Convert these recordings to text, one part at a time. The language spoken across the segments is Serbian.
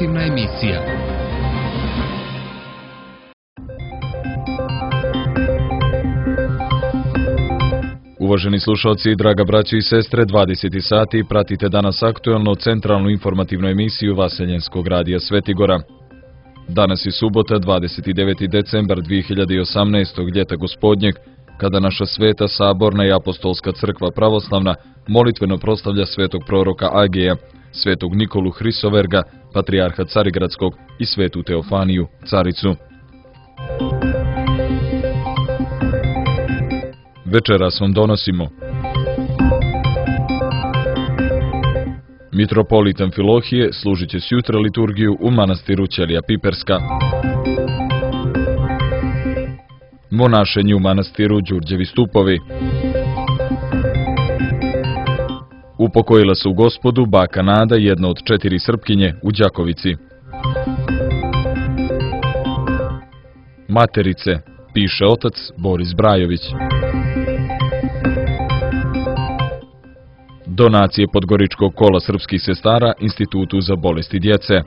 informativna emisija. Uvaženi slušalci, draga braćo i sestre, 20 sati pratite danas aktuelno centralnu informativnu emisiju Vaseljenskog radija Svetigora. Danas je subota, 29. decembar 2018. ljeta gospodnjeg, kada naša sveta, saborna i apostolska crkva pravoslavna molitveno proslavlja svetog proroka Ageja, svetog Nikolu Hrisoverga, patrijarha Carigradskog i svetu Teofaniju, caricu. Večeras vam donosimo mitropolit Amfilohije služit će sjutra liturgiju u manastiru Ćelija Piperska. Monašenje u manastiru Đurđevi Stupovi. Upokojila se u Gospodu baka Nada, jedna od 4 Srpkinje u Đakovici. Materice, piše otac Boris Brajović. Donacije Podgoričkog kola srpskih sestara Institutu za bolesti djece.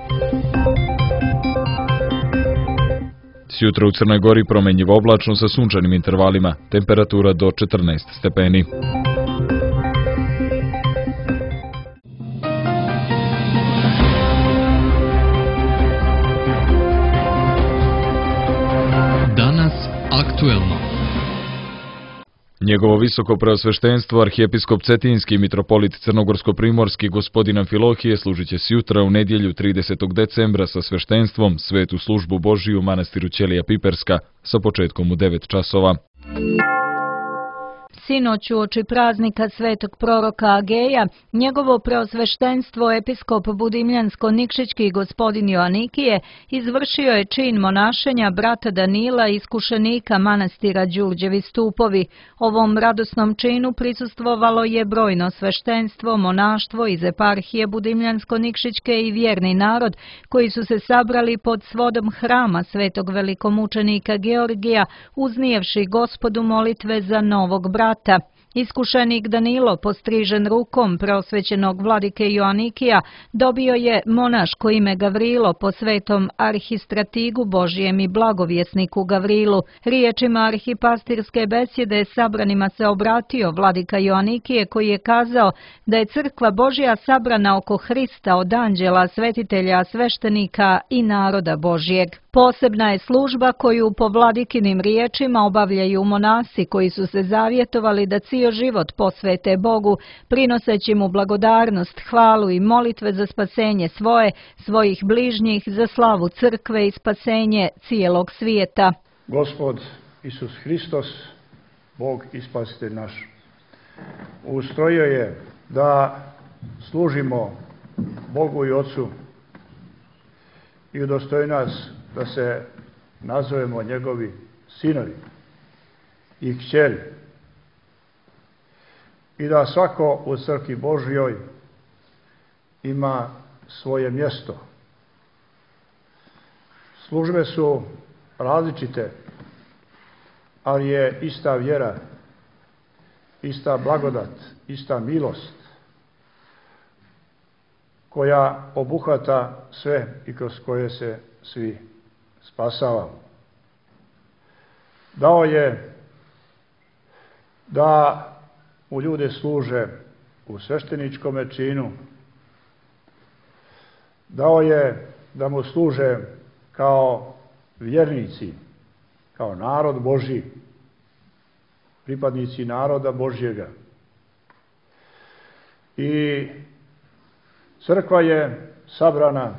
Sjutra u Crnoj Gori promenjivo oblačno sa sunčanim intervalima, temperatura do 14 stepeni. Danas aktuelno. Njegovo visoko preosveštenstvo, arhijepiskop Cetinski i mitropolit Crnogorsko-primorski gospodin Amfilohije služit će sjutra u nedjelju 30. decembra sa sveštenstvom svetu službu Božiju u manastiru Ćelija Piperska sa početkom u 9 časova. Sinoć uoči praznika svetog proroka Ageja, njegovo preosveštenstvo episkop Budimljansko-Nikšićki gospodin Joanikije izvršio je čin monašenja brata Danila, iskušenika manastira Đurđevi Stupovi. Ovom radosnom činu prisustvovalo je brojno sveštenstvo, monaštvo iz eparhije Budimljansko-Nikšićke i vjerni narod koji su se sabrali pod svodom hrama svetog velikomučenika Georgija, uznijevši Gospodu molitve za novog brata. Iskušenik Danilo, postrižen rukom preosvećenog vladike Joanikija, dobio je monaško ime Gavrilo po svetom arhistratigu Božijem i blagovjesniku Gavrilu. Riječima arhipastirske besjede sabranima se obratio vladika Joanikije, koji je kazao da je crkva Božja sabrana oko Hrista od anđela, svetitelja, sveštenika i naroda Božjeg. Posebna je služba koju po vladikinim riječima obavljaju monasi koji su se zavjetovali da cijel život posvete Bogu, prinoseći mu blagodarnost, hvalu i molitve za spasenje svojih bližnjih, za slavu crkve i spasenje cijelog svijeta. Gospod Isus Hristos, Bog i Spasitelj naš, ustrojio je da služimo Bogu i Otcu i udostoji nas da se nazovemo njegovi sinovi i kćeri i da svako u crkvi Božjoj ima svoje mjesto. Službe su različite, ali je ista vjera, ista blagodat, ista milost koja obuhvata sve i kroz koje se svi spasavamo. Dao je da u ljude služe u svešteničkom činu. Dao je da mu služe kao vjernici, kao narod Božji, pripadnici naroda Božjega. I crkva je sabrana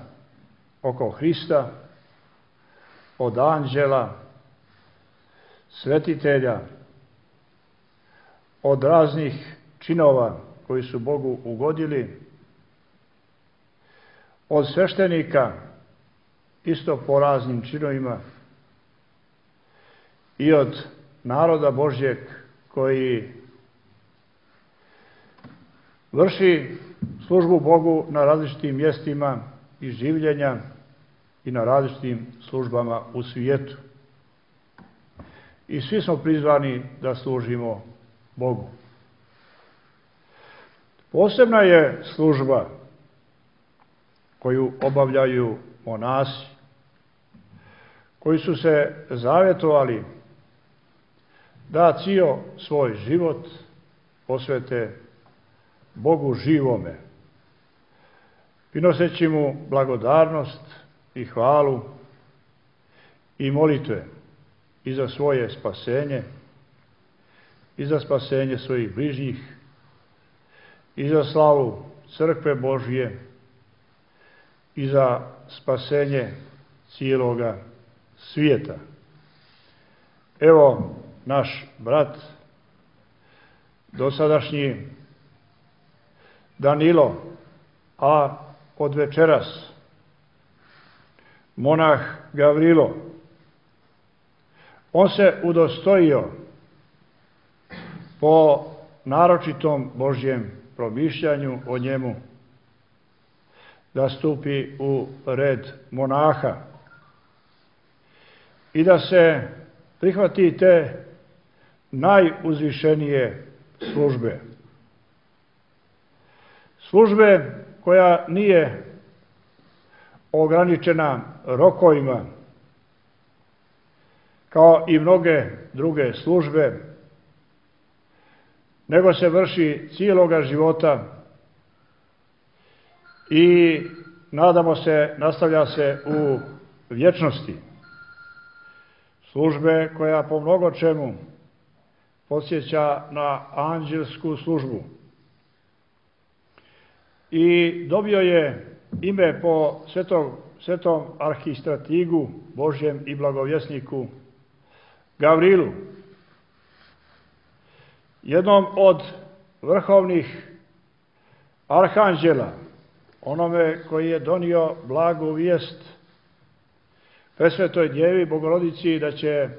oko Hrista, od anđela, svetitelja, od raznih činova koji su Bogu ugodili, od sveštenika, isto po raznim činovima, i od naroda Božjeg koji vrši službu Bogu na različitim mjestima i življenja i na različitim službama u svijetu. I svi smo prizvani da služimo Bogu. Posebna je služba koju obavljaju monasi, koji su se zavjetovali da cijel svoj život posvete Bogu živome, prinoseći mu blagodarnost i hvalu i molitve i za svoje spasenje, i za spasenje svojih bližnjih, i za slavu crkve Božije, i za spasenje cijeloga svijeta. Evo naš brat, dosadašnji Danilo, a od večeras monah Gavrilo, on se udostojio po naročitom Božjem promišljanju o njemu da stupi u red monaha i da se prihvati te najuzvišenije službe. Službe koja nije ograničena rokovima, kao i mnoge druge službe, nego se vrši cijeloga života i, nadamo se, nastavlja se u vječnosti. Službe koja po mnogo čemu podsjeća na anđelsku službu. I dobio je ime po svetom arhistratigu Božjem i blagovjesniku Gavrilu, jednom od vrhovnih arhanđela, onome koji je donio blagu vijest Presvetoj Djevi Bogorodici da će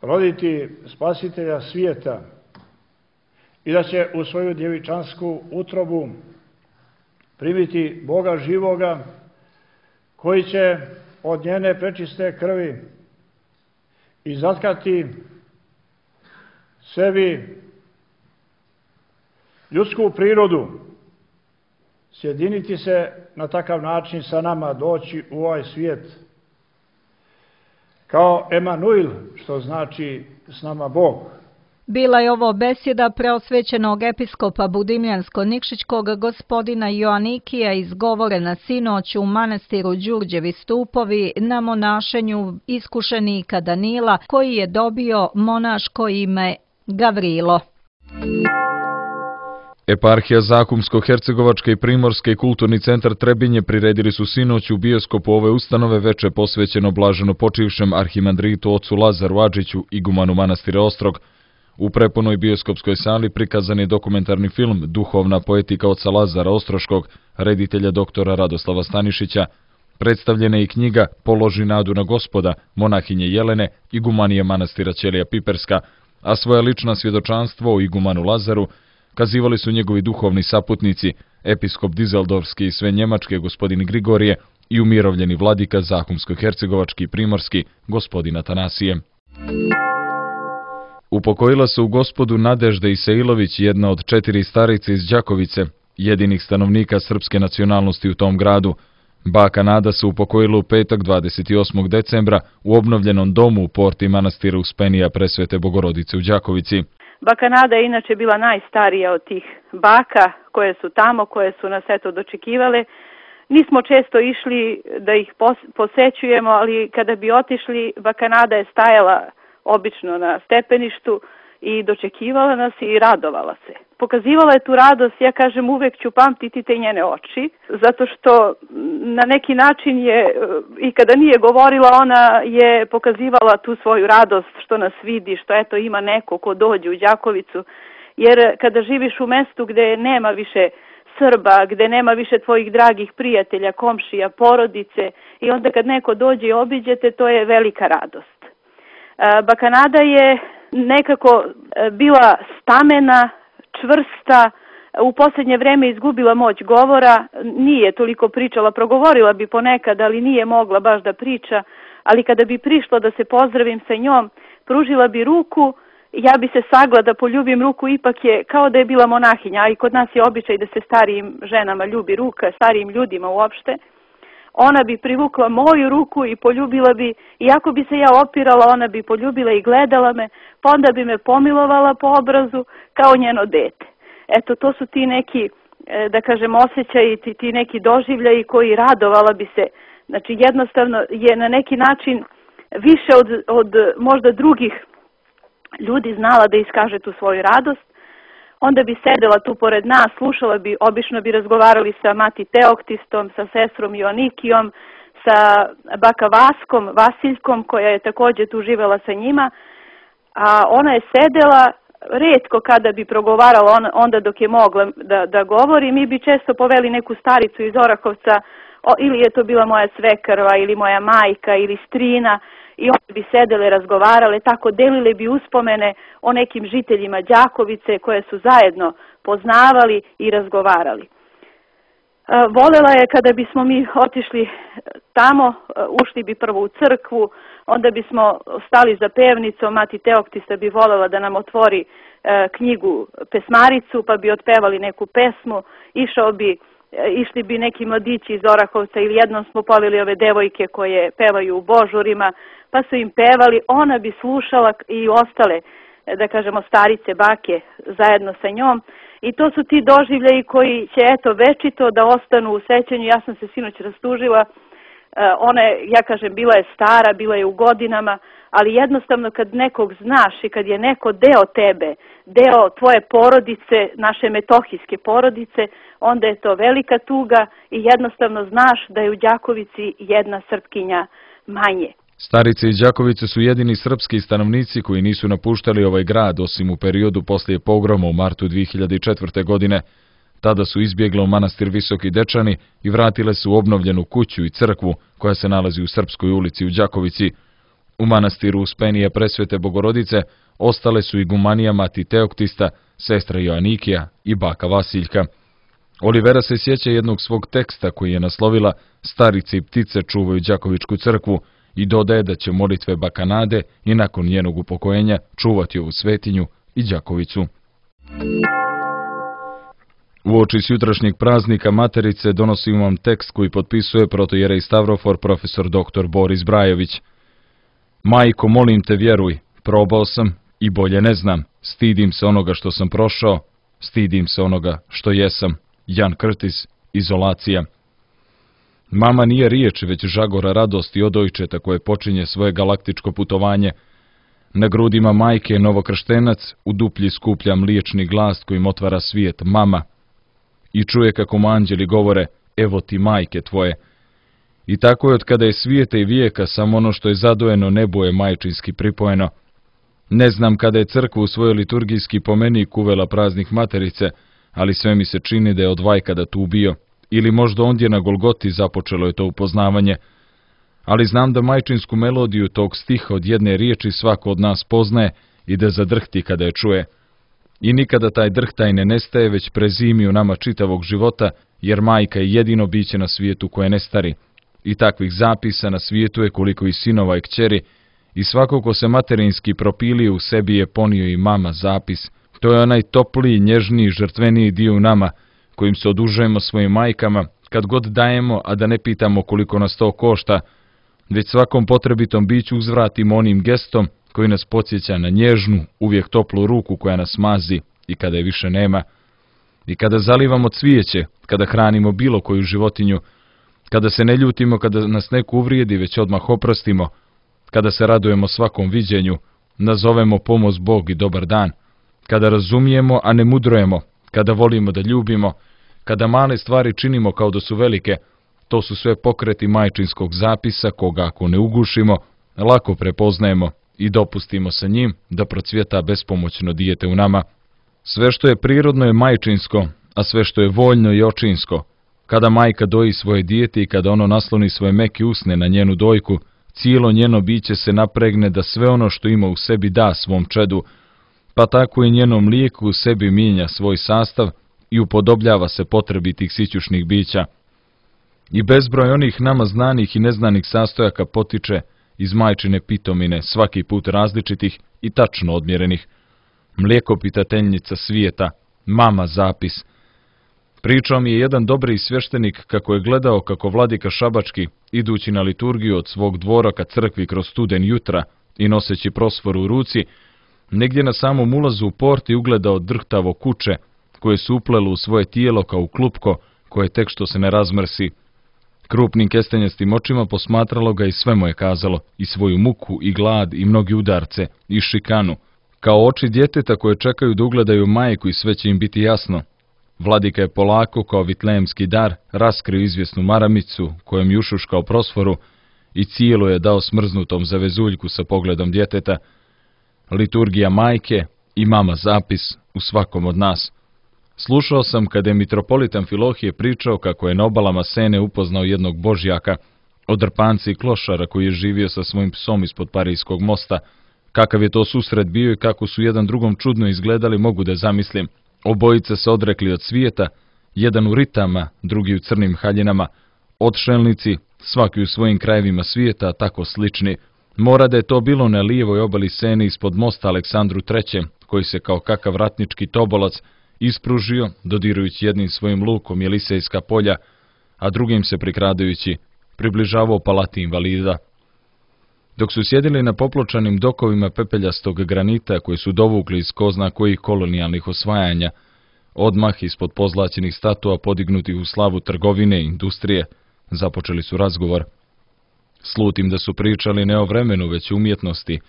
roditi Spasitelja svijeta i da će u svoju djevičansku utrobu primiti Boga živoga, koji će od njene prečiste krvi izatkati sebi ljudsku prirodu, sjediniti se na takav način sa nama, doći u ovaj svijet kao Emanuil, što znači s nama Bog. Bila je ovo besjeda preosvećenog episkopa Budimljansko-Nikšićkog gospodina Joanikija izgovorena sinoć u manastiru Đurđevi stupovi na monašenju iskušenika Danila, koji je dobio monaško ime Gavrilo. Eparhija Zakumsko-Hercegovačke i Primorske i Kulturni centar Trebinje priredili su sinoć u bioskopu ove ustanove veče posvećeno blaženo počivšem arhimandritu ocu Lazaru Adžiću, igumanu manastira Ostrog. U prepunoj bioskopskoj sali prikazan je dokumentarni film Duhovna poetika oca Lazara Ostroškog, reditelja doktora Radoslava Stanišića. Predstavljena je i knjiga Položi nadu na Gospoda, monahinje Jelene, igumanije manastira Ćelija Piperska, a svoja lična svjedočanstvo o igumanu Lazaru kazivali su njegovi duhovni saputnici, episkop Dizeldorfski i sve njemačke gospodin Grigorije i umirovljeni vladika Zakumsko-Hercegovački i Primorski gospodin Atanasije. Upokojila se u Gospodu Nadežda Isailović, jedna od 4 starice iz Đakovice, jedinih stanovnika srpske nacionalnosti u tom gradu. Baka Nada se upokojila u petak 28. decembra u obnovljenom domu u porti manastira Uspenija Presvete Bogorodice u Đakovici. Baka Nada je inače bila najstarija od tih baka koje su tamo, koje su nas eto dočekivale. Nismo često išli da ih posećujemo, ali kada bi otišli, baka Nada je stajala obično na stepeništu i dočekivala nas i radovala se. Pokazivala je tu radost, ja kažem, uvek ću pamtiti te njene oči, zato što na neki način je, i kada nije govorila, ona je pokazivala tu svoju radost što nas vidi, što eto ima neko ko dođe u Đakovicu, jer kada živiš u mestu gde nema više Srba, gde nema više tvojih dragih prijatelja, komšija, porodice, i onda kad neko dođe i obiđete, to je velika radost. Baka Nada je nekako bila stamena, čvrsta, u posljednje vreme izgubila moć govora, nije toliko pričala, progovorila bi ponekad, ali nije mogla baš da priča, ali kada bi prišla da se pozdravim sa njom, pružila bi ruku ja bi se sagla da poljubim ruku, ipak je kao da je bila monahinja, a i kod nas je običaj da se starijim ženama ljubi ruka, starijim ljudima uopšte. Ona bi privukla moju ruku i poljubila bi, iako bi se ja opirala, ona bi poljubila i gledala me, pa onda bi me pomilovala po obrazu kao njeno dete. Eto, to su ti neki, da kažem, osjećaji, ti neki doživljaji koji radovala bi se. Znači, jednostavno je na neki način više od možda drugih ljudi znala da iskaže tu svoju radost. Onda bi sedela tu pored nas, slušala bi, obično bi razgovarali sa mati Teoktistom, sa sestrom Joanikijom, sa baka Vaskom, Vasiljkom, koja je također tu živela sa njima, a ona je sedela, retko kada bi progovarala onda dok je mogla da govori, mi bi često poveli neku staricu iz Orahovca, ili je to bila moja svekrva, ili moja majka, ili strina, i one bi sedele, razgovarale, tako delile bi uspomene o nekim žiteljima Đakovice koje su zajedno poznavali i razgovarali. Volela je kada bismo mi otišli tamo, ušli bi prvo u crkvu, onda bismo stali za pevnicom, mati Teoktista bi volela da nam otvori knjigu pesmaricu, pa bi otpevali neku pesmu, išli bi neki mladići iz Orahovca ili jednom smo poveli ove devojke koje pevaju u božurima, pa su im pevali, ona bi slušala i ostale, da kažemo, starice, bake zajedno sa njom. I to su ti doživljaji koji će, eto, večito da ostanu u sećanju. Ja sam se sinoć rastužila, ona je, ja kažem, bila je stara, bila je u godinama, ali jednostavno kad nekog znaš i kad je neko deo tebe, deo tvoje porodice, naše metohijske porodice, onda je to velika tuga i jednostavno znaš da je u Đakovici jedna Srpkinja manje. Starice iz Đakovice su jedini srpski stanovnici koji nisu napuštali ovaj grad osim u periodu poslije pogroma u martu 2004. godine. Tada su izbjegle u manastir Visoki Dečani i vratile se u obnovljenu kuću i crkvu koja se nalazi u Srpskoj ulici u Đakovici. U manastiru Uspenije Presvete Bogorodice ostale su igumanija mati Teoktista, sestra Joanikija i baka Vasiljka. Olivera se sjeća jednog svog teksta koji je naslovila "Starice i ptice čuvaju Đakovičku crkvu" i dodaje da će molitve baka Nade i nakon njenog upokojenja čuvati ovu svetinju i Đakovicu. Uoči jutrašnjeg praznika Materice donosim vam tekst koji potpisuje protojerej Stavrofor profesor dr. Boris Brajović. Majko, molim te, vjeruj, probao sam i bolje ne znam. Stidim se onoga što sam prošao, stidim se onoga što jesam. Jan Krtis, Izolacija. Mama nije riječ, već žagora radosti od ojčeta koje počinje svoje galaktičko putovanje. Na grudima majke novokrštenac u duplji skuplja mliječni glas kojim otvara svijet, mama. I čuje kako mu anđeli govore, evo ti majke tvoje. I tako je od kada je svijeta i vijeka, samo ono što je zadojeno nebo je majčinski pripojeno. Ne znam kada je crkva u svojoj liturgijski pomenik uvela praznik Materice, ali sve mi se čini da je od vajkada tu bio. Ili možda ondje na Golgoti započelo je to upoznavanje. Ali znam da majčinsku melodiju tog stiha od jedne riječi svako od nas poznaje i da zadrhti kada je čuje. I nikada taj drhtaj ne nestaje, već prezimi u nama čitavog života, jer majka je jedino biće na svijetu koje ne stari. I takvih zapisa na svijetu je koliko i sinova i kćeri, i svako ko se materinski propilio u sebi je ponio i mama zapis. To je onaj topliji, nježniji, žrtveniji dio u nama, kojim se odužujemo svojim majkama, kad god dajemo, a da ne pitamo koliko nas to košta, već svakom potrebitom biću uzvratimo onim gestom koji nas podsjeća na nježnu, uvijek toplu ruku koja nas mazi i kada je više nema. I kada zalivamo cvijeće, kada hranimo bilo koju životinju, kada se ne ljutimo, kada nas neko uvrijedi, već odmah oprostimo, kada se radujemo svakom viđenju, nazovemo pomoz Bog i dobar dan, kada razumijemo, a ne mudrujemo, kada volimo da ljubimo, kada male stvari činimo kao da su velike, to su sve pokreti majčinskog zapisa koga ako ne ugušimo, lako prepoznajemo i dopustimo sa njim da procvjeta bespomoćno dijete u nama. Sve što je prirodno je majčinsko, a sve što je voljno je očinsko. Kada majka doji svoje dijete i kada ono nasloni svoje meke usne na njenu dojku, cijelo njeno biće se napregne da sve ono što ima u sebi da svom čedu, pa tako i njeno mlijeko u sebi mijenja svoj sastav i upodobljava se potrebi tih sićušnih bića. I bezbroj onih nama znanih i neznanih sastojaka potiče iz majčine pitomine, svaki put različitih i tačno odmjerenih. mlijekopitateljnica svijeta, mama zapis. Pričao mi je jedan dobri svještenik kako je gledao kako vladika Šabački, idući na liturgiju od svog dvora ka crkvi kroz studen jutra i noseći prosforu u ruci, negdje na samom ulazu u porti ugledao drhtavo kuće, koje su uplelo u svoje tijelo kao u klupko, koje tek što se ne razmrsi. Krupnim kestenjastim očima posmatralo ga i sve mu je kazalo, i svoju muku, i glad, i mnogi udarce, i šikanu, kao oči djeteta koje čekaju da ugledaju majku i sve će im biti jasno. Vladika je polako, kao vitlejemski dar, raskrio izvjesnu maramicu, kojom je ušuškao prosforu, i cijelo je dao smrznutom zavezuljku sa pogledom djeteta. Liturgija majke i mama zapis u svakom od nas. Slušao sam kada je mitropolit Amfilohije pričao kako je na obalama Sene upoznao jednog božjaka, od drpanca i klošara koji je živio sa svojim psom ispod Parijskog mosta. Kakav je to susret bio i kako su jedan drugom čudno izgledali mogu da zamislim. Obojica se odrekli od svijeta, jedan u ritama, drugi u crnim haljinama, odšelnici, svaki u svojim krajevima svijeta, tako slični. Mora da je to bilo na lijevoj obali Sene ispod mosta Aleksandru III, koji se kao kakav ratnički tobolac ispružio, dodirujući jednim svojim lukom Jelisejska polja, a drugim se prikradajući, približavao palati invalida. Dok su sjedili na popločanim dokovima pepeljastog granita koji su dovukli iz ko zna kojih kolonijalnih osvajanja, odmah ispod pozlaćenih statua podignutih u slavu trgovine i industrije, započeli su razgovor. Slutim da su pričali ne o vremenu, već o umjetnosti,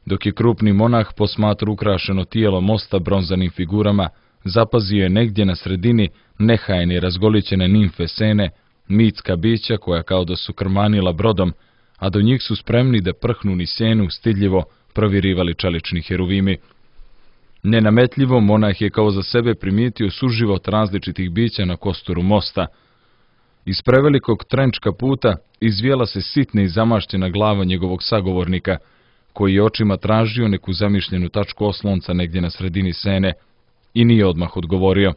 dok je krupni monah posmatru ukrašeno tijelo mosta bronzanim figurama, zapazio je negdje na sredini nehajne razgolićene nimfe Sene, mitska bića koja kao da su krmanila brodom, a do njih su spremni da prhnu ni Senu stidljivo provirivali čelični heruvimi. Nenametljivo monah je kao za sebe primijetio suživot različitih bića na kosturu mosta. Iz prevelikog trenčka puta izvijela se sitna i zamašćena glava njegovog sagovornika, koji je očima tražio neku zamišljenu tačku oslonca negdje na sredini Sene i nije odmah odgovorio.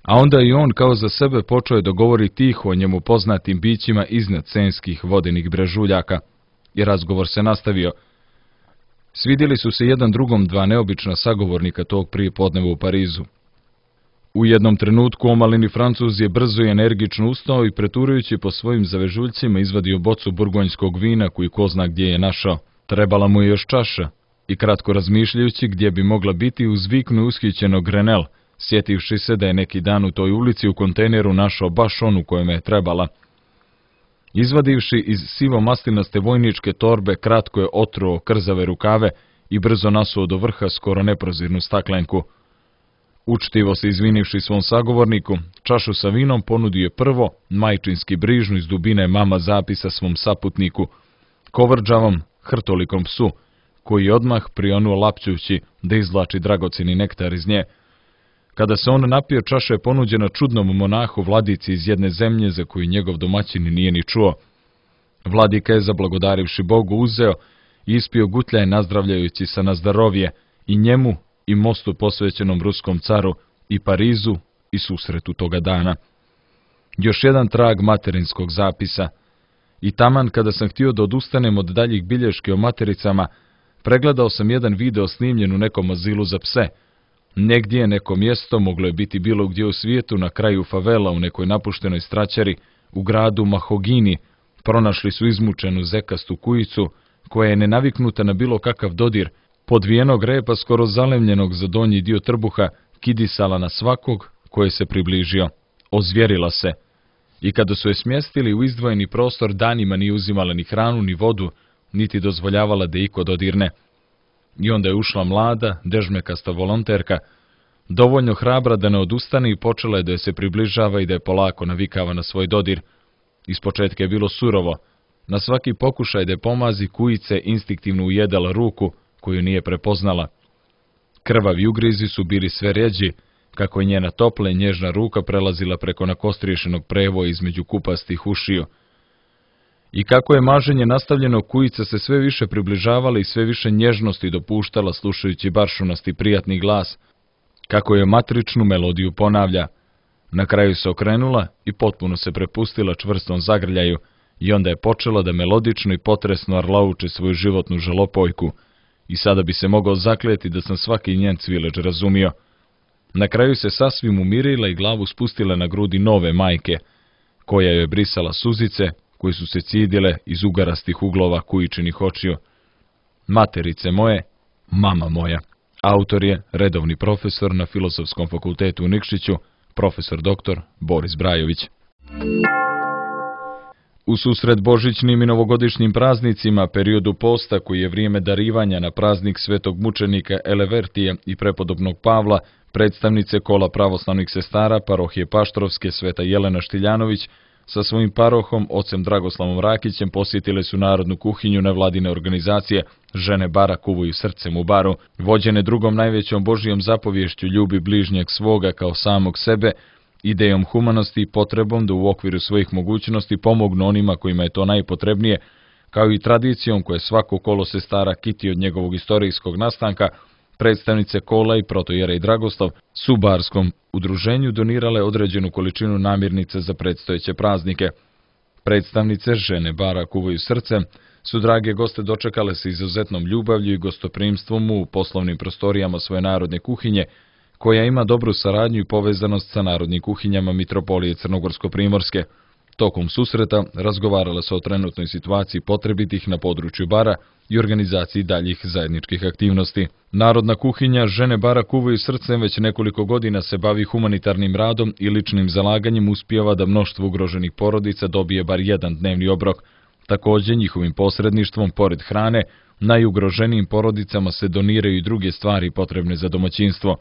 A onda i on kao za sebe počeo je da govori tiho o njemu poznatim bićima iznad senskih vodenih brežuljaka i razgovor se nastavio. Svidjeli su se jedan drugom dva neobična sagovornika tog prijepodneva u Parizu. U jednom trenutku omalini Francuz je brzo i energično ustao i preturajući po svojim zavežuljcima izvadio bocu burgonjskog vina koju ko zna gdje je našao. Trebala mu je još čaša i kratko razmišljajući gdje bi mogla biti uzviknu ushićeno Grenel, sjetivši se da je neki dan u toj ulici u kontejneru našao baš onu kojima je trebala. Izvadivši iz sivo-maslinaste vojničke torbe, kratko je otruo krzave rukave i brzo nasuo do vrha skoro neprozirnu staklenku. Učtivo se izvinivši svom sagovorniku, čašu sa vinom ponudio je prvo majčinski brižnu iz dubine mama zapisa svom saputniku, kovrđavom, hrtolikom psu, koji je odmah prionuo lapćući da izvlači dragocjeni nektar iz nje. Kada se on napio, čaša je ponuđena čudnom monahu vladici iz jedne zemlje za koju njegov domaćin nije ni čuo. Vladika je, zablagodarivši Bogu, uzeo i ispio gutljaje nazdravljajući se na zdarovje i njemu i mostu posvećenom ruskom caru i Parizu i susretu toga dana. Još jedan trag materinskog zapisa. I taman kada sam htio da odustanem od daljih bilješki o matericama, pregledao sam jedan video snimljen u nekom azilu za pse. Negdje je neko mjesto, moglo je biti bilo gdje u svijetu, na kraju favela, u nekoj napuštenoj straćari, u gradu Mahogini, pronašli su izmučenu zekastu kujicu, koja je nenaviknuta na bilo kakav dodir, podvijenog repa skoro zalemljenog za donji dio trbuha, kidisala na svakog koje se približio. Ozvjerila se. I kada su je smjestili u izdvojeni prostor, danima nije uzimala ni hranu, ni vodu, niti dozvoljavala da iko dodirne. I onda je ušla mlada, dežmekasta volonterka, dovoljno hrabra da ne odustane i počela je da je se približava i da je polako navikava na svoj dodir. Ispočetka je bilo surovo. Na svaki pokušaj da je pomazi, kujice instinktivno ujedala ruku koju nije prepoznala. Krvavi ugrizi su bili sve rjeđi, kako je njena topla i nježna ruka prelazila preko nakostriješenog prevoja između kupastih ušiju. I kako je maženje nastavljeno, kujica se sve više približavala i sve više nježnosti dopuštala slušajući baršunasti prijatni glas, kako je matričnu melodiju ponavlja. Na kraju se okrenula i potpuno se prepustila čvrstom zagrljaju i onda je počela da melodično i potresno arlauče svoju životnu žalopojku i sada bi se mogao zakleti da sam svaki njen cvileč razumio. Na kraju se sasvim umirila i glavu spustila na grudi nove majke, koja joj brisala suzice, koje su se cidile iz ugarastih uglova kujičinih očiju. Materice moje, mama moja. Autor je redovni profesor na Filozofskom fakultetu u Nikšiću, profesor dr. Boris Brajović. U susret božićnim i novogodišnjim praznicima, periodu posta koji je vrijeme darivanja na praznik svetog mučenika Elevertija i prepodobnog Pavla, predstavnice kola pravoslavnih sestara parohije Paštrovske Sveta Jelena Štiljanović sa svojim parohom, ocem Dragoslavom Rakićem, posjetile su narodnu kuhinju nevladine organizacije Žene bara kuvaju srcem u baru, vođene drugom najvećom Božijom zapovješću ljubi bližnjeg svoga kao samog sebe, idejom humanosti i potrebom da u okviru svojih mogućnosti pomognu onima kojima je to najpotrebnije, kao i tradicijom koje svako kolo sestara kiti od njegovog istorijskog nastanka, predstavnice kola i protojerej Dragoslav su barskom udruženju donirale određenu količinu namirnice za predstojeće praznike. Predstavnice Žene bara kuvaju srcem su drage goste dočekale sa izuzetnom ljubavlju i gostoprimstvom u poslovnim prostorijama svoje narodne kuhinje, koja ima dobru saradnju i povezanost sa narodnim kuhinjama Mitropolije Crnogorsko-Primorske. Tokom susreta razgovarala se o trenutnoj situaciji potrebitih na području bara i organizaciji daljih zajedničkih aktivnosti. Narodna kuhinja Žene bara kuvaju srcem već nekoliko godina se bavi humanitarnim radom i ličnim zalaganjem uspijeva da mnoštvo ugroženih porodica dobije bar jedan dnevni obrok. Također njihovim posredništvom, pored hrane, najugroženijim porodicama se doniraju i druge stvari potrebne za domaćinstvo.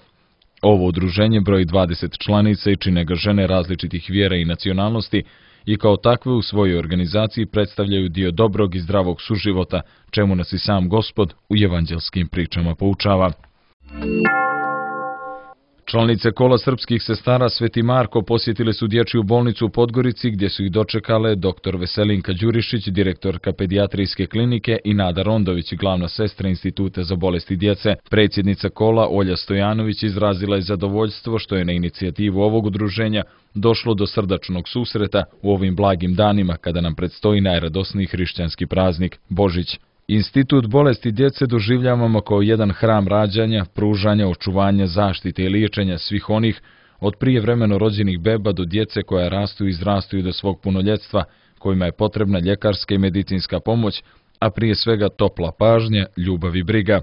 Ovo udruženje broji 20 članica i čine ga žene različitih vjera i nacionalnosti i kao takve u svojoj organizaciji predstavljaju dio dobrog i zdravog suživota, čemu nas i sam Gospod u evanđelskim pričama poučava. Članice kola srpskih sestara Sveti Marko posjetile su dječju bolnicu u Podgorici gdje su ih dočekale dr. Veselinka Đurišić, direktorka pedijatrijske klinike i Nada Rondović, glavna sestra Instituta za bolesti djece. Predsjednica kola Olja Stojanović izrazila je zadovoljstvo što je na inicijativu ovog udruženja došlo do srdačnog susreta u ovim blagim danima kada nam predstoji najradosniji hrišćanski praznik Božić. Institut bolesti djece doživljavamo kao jedan hram rađanja, pružanja, očuvanja, zaštite i liječenja svih onih od prijevremeno rođenih beba do djece koja rastu i izrastuju do svog punoljetstva, kojima je potrebna ljekarska i medicinska pomoć, a prije svega topla pažnja, ljubav i briga.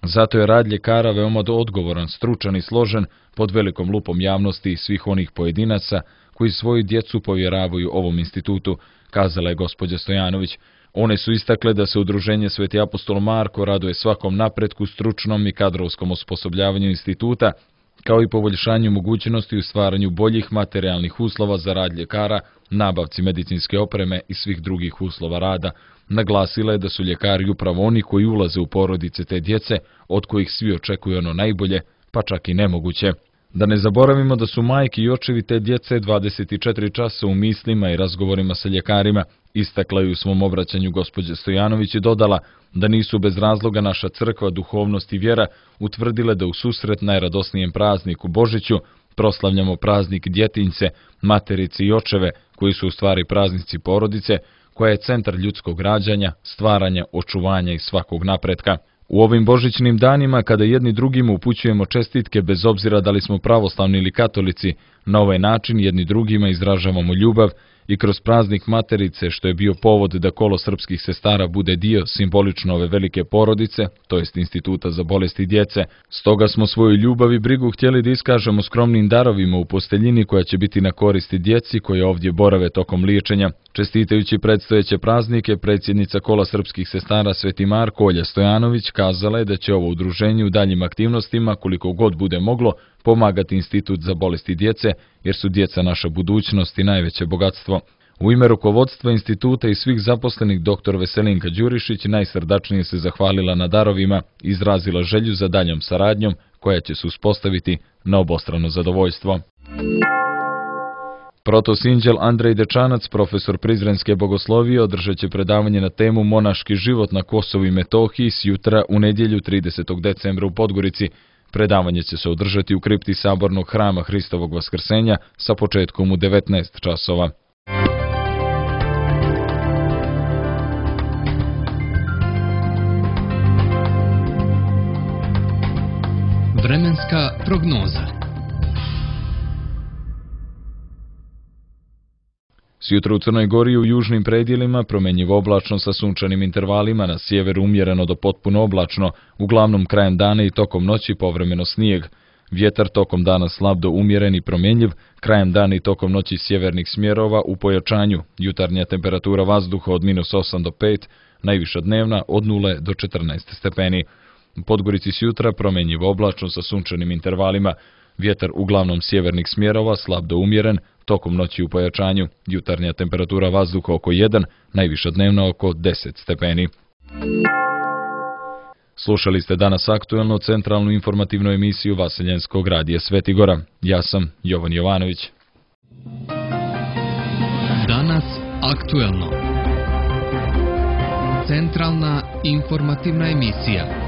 Zato je rad ljekara veoma odgovoran, stručan i složen pod velikom lupom javnosti i svih onih pojedinaca koji svoju djecu povjeravaju ovom institutu, kazala je gospođa Stojanović. One su istakle da se udruženje Sveti apostol Marko raduje svakom napretku, stručnom i kadrovskom osposobljavanju instituta, kao i poboljšanju mogućnosti u stvaranju boljih materijalnih uslova za rad ljekara, nabavci medicinske opreme i svih drugih uslova rada. Naglasila je da su ljekari upravo oni koji ulaze u porodice te djece, od kojih svi očekuju ono najbolje, pa čak i nemoguće. Da ne zaboravimo da su majke i očevi te djece 24 časa u mislima i razgovorima sa ljekarima, istakla je u svom obraćanju gospođa Stojanović i dodala da nisu bez razloga naša crkva, duhovnost i vjera utvrdile da u susret najradosnijem prazniku Božiću proslavljamo praznik djetinjce, materice i očeve, koji su u stvari praznici porodice, koja je centar ljudskog rađanja, stvaranja, očuvanja i svakog napretka. U ovim božićnim danima, kada jedni drugima upućujemo čestitke bez obzira da li smo pravoslavni ili katolici, na ovaj način jedni drugima izražavamo ljubav i kroz praznik Materice, što je bio povod da kolo srpskih sestara bude dio simbolično ove velike porodice, to jest Instituta za bolesti djece. Stoga smo svoju ljubav i brigu htjeli da iskažemo skromnim darovima u posteljini koja će biti na koristi djeci koje ovdje borave tokom liječenja. Čestitajući predstojeće praznike, predsjednica kola srpskih sestara Sveti Marko Olja Stojanović kazala je da će ovo udruženje u daljim aktivnostima, koliko god bude moglo, pomagati Institut za bolesti djece, jer su djeca naša budućnost i najveće bogatstvo. U ime rukovodstva instituta i svih zaposlenih dr. Veselinka Đurišić najsrdačnije se zahvalila na darovima i izrazila želju za daljom saradnjom koja će se uspostaviti na obostrano zadovoljstvo. Protosinđel Andrej Dečanac, profesor Prizrenske bogoslovije, održat će predavanje na temu Monaški život na Kosovu i Metohiji sjutra u nedjelju 30. decembra u Podgorici. Predavanje će se održati u kripti Sabornog hrama Hristovog Vaskrsenja sa početkom u 19 časova. vremenska prognoza. Sjutra u Crnoj Gori u južnim predjelima promenjivo oblačno sa sunčanim intervalima, na sjeveru umjereno do potpuno oblačno, uglavnom krajem dana i tokom noći povremeno snijeg. Vjetar tokom dana slab do umjeren i promjenjiv, krajem dana i tokom noći sjevernih smjerova u pojačanju, jutarnja temperatura vazduha od -8 do 5, najviša dnevna od 0 do 14 stepeni. U Podgorici sjutra promenjivo oblačno sa sunčanim intervalima, vjetar uglavnom sjevernih smjerova slab do umjeren, tokom noći u pojačanju, jutarnja temperatura vazduha oko 1, najviša dnevna oko 10 stepeni. Slušali ste danas aktuelno centralnu informativnu emisiju Vaseljenskog radija Svetigora. Ja sam Jovan Jovanović. Danas aktuelno. Centralna informativna emisija.